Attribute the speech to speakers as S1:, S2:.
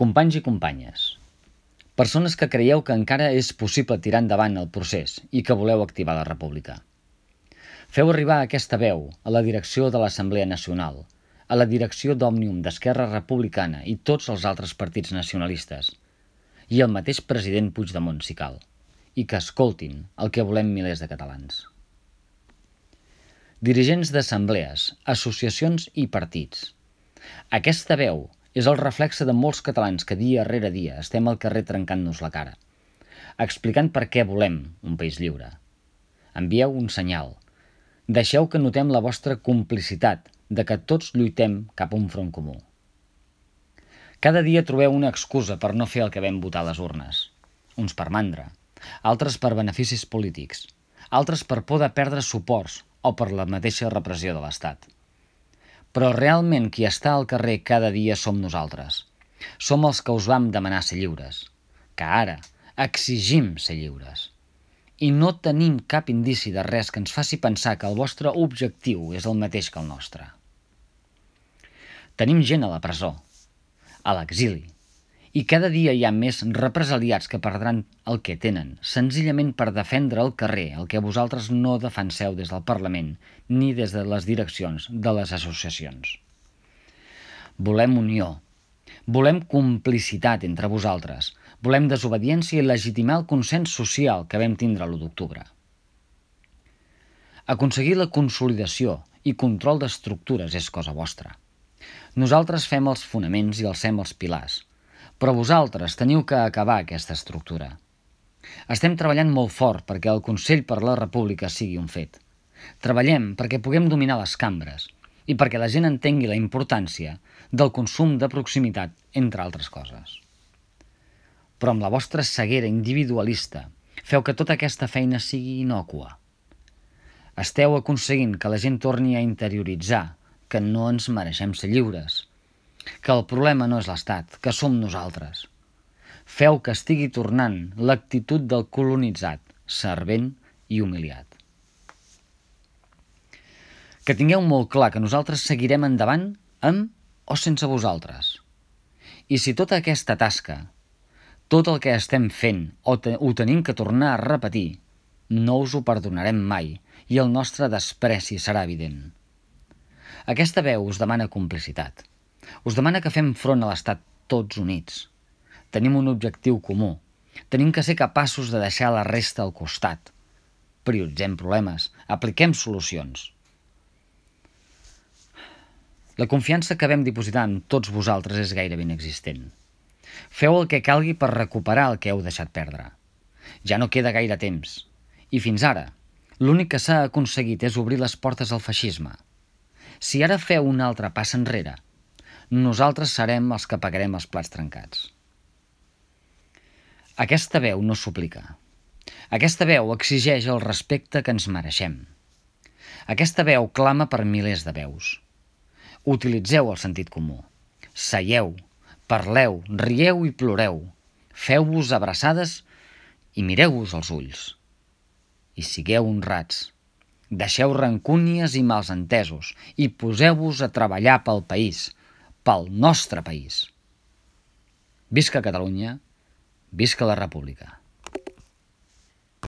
S1: Companys i companyes, persones que creieu que encara és possible tirar endavant el procés i que voleu activar la república. Feu arribar aquesta veu a la direcció de l'Assemblea Nacional, a la direcció d'Òmnium d'Esquerra Republicana i tots els altres partits nacionalistes, i el mateix president Puigdemont, si cal, i que escoltin el que volem milers de catalans. Dirigents d'assemblees, associacions i partits. Aquesta veu és el reflexe de molts catalans que dia rere dia estem al carrer trencant-nos la cara, explicant per què volem un país lliure. Envieu un senyal. Deixeu que notem la vostra complicitat de que tots lluitem cap a un front comú. Cada dia trobeu una excusa per no fer el que vam votar a les urnes. Uns per mandra, altres per beneficis polítics, altres per por de perdre suports o per la mateixa repressió de l'Estat. Però realment qui està al carrer cada dia som nosaltres. Som els que us vam demanar ser lliures, que ara exigim ser lliures. I no tenim cap indici de res que ens faci pensar que el vostre objectiu és el mateix que el nostre. Tenim gent a la presó, a l'exili, i cada dia hi ha més represaliats que perdran el que tenen, senzillament per defendre al carrer el que vosaltres no defenseu des del Parlament ni des de les direccions de les associacions. Volem unió, volem complicitat entre vosaltres, volem desobediència i legitimar el consens social que vam tindre l'1 d'octubre. Aconseguir la consolidació i control d'estructures és cosa vostra. Nosaltres fem els fonaments i alcem els pilars, però vosaltres teniu que acabar aquesta estructura. Estem treballant molt fort perquè el Consell per la República sigui un fet. Treballem perquè puguem dominar les cambres i perquè la gent entengui la importància del consum de proximitat, entre altres coses. Però amb la vostra ceguera individualista feu que tota aquesta feina sigui innòcua. Esteu aconseguint que la gent torni a interioritzar que no ens mereixem ser lliures, que el problema no és l'Estat, que som nosaltres. Feu que estigui tornant l'actitud del colonitzat, servent i humiliat. Que tingueu molt clar que nosaltres seguirem endavant amb o sense vosaltres. I si tota aquesta tasca, tot el que estem fent ho tenim que tornar a repetir, no us ho perdonarem mai i el nostre despreci serà evident. Aquesta veu us demana complicitat. Us demana que fem front a l'Estat tots units. Tenim un objectiu comú. Tenim que ser capaços de deixar la resta al costat. Prioritzem problemes, apliquem solucions. La confiança que vam dipositar en tots vosaltres és gairebé inexistent. Feu el que calgui per recuperar el que heu deixat perdre. Ja no queda gaire temps. I fins ara, l'únic que s'ha aconseguit és obrir les portes al feixisme. Si ara feu un altre pas enrere, nosaltres serem els que pagarem els plats trencats. Aquesta veu no suplica. Aquesta veu exigeix el respecte que ens mereixem. Aquesta veu clama per milers de veus. Utilitzeu el sentit comú. Seieu, parleu, rieu i ploreu. Feu-vos abraçades i mireu-vos als ulls. I sigueu honrats. Deixeu rancúnies i malsentesos i poseu-vos a treballar pel país, pel nostre país. Visca Catalunya, visca la República.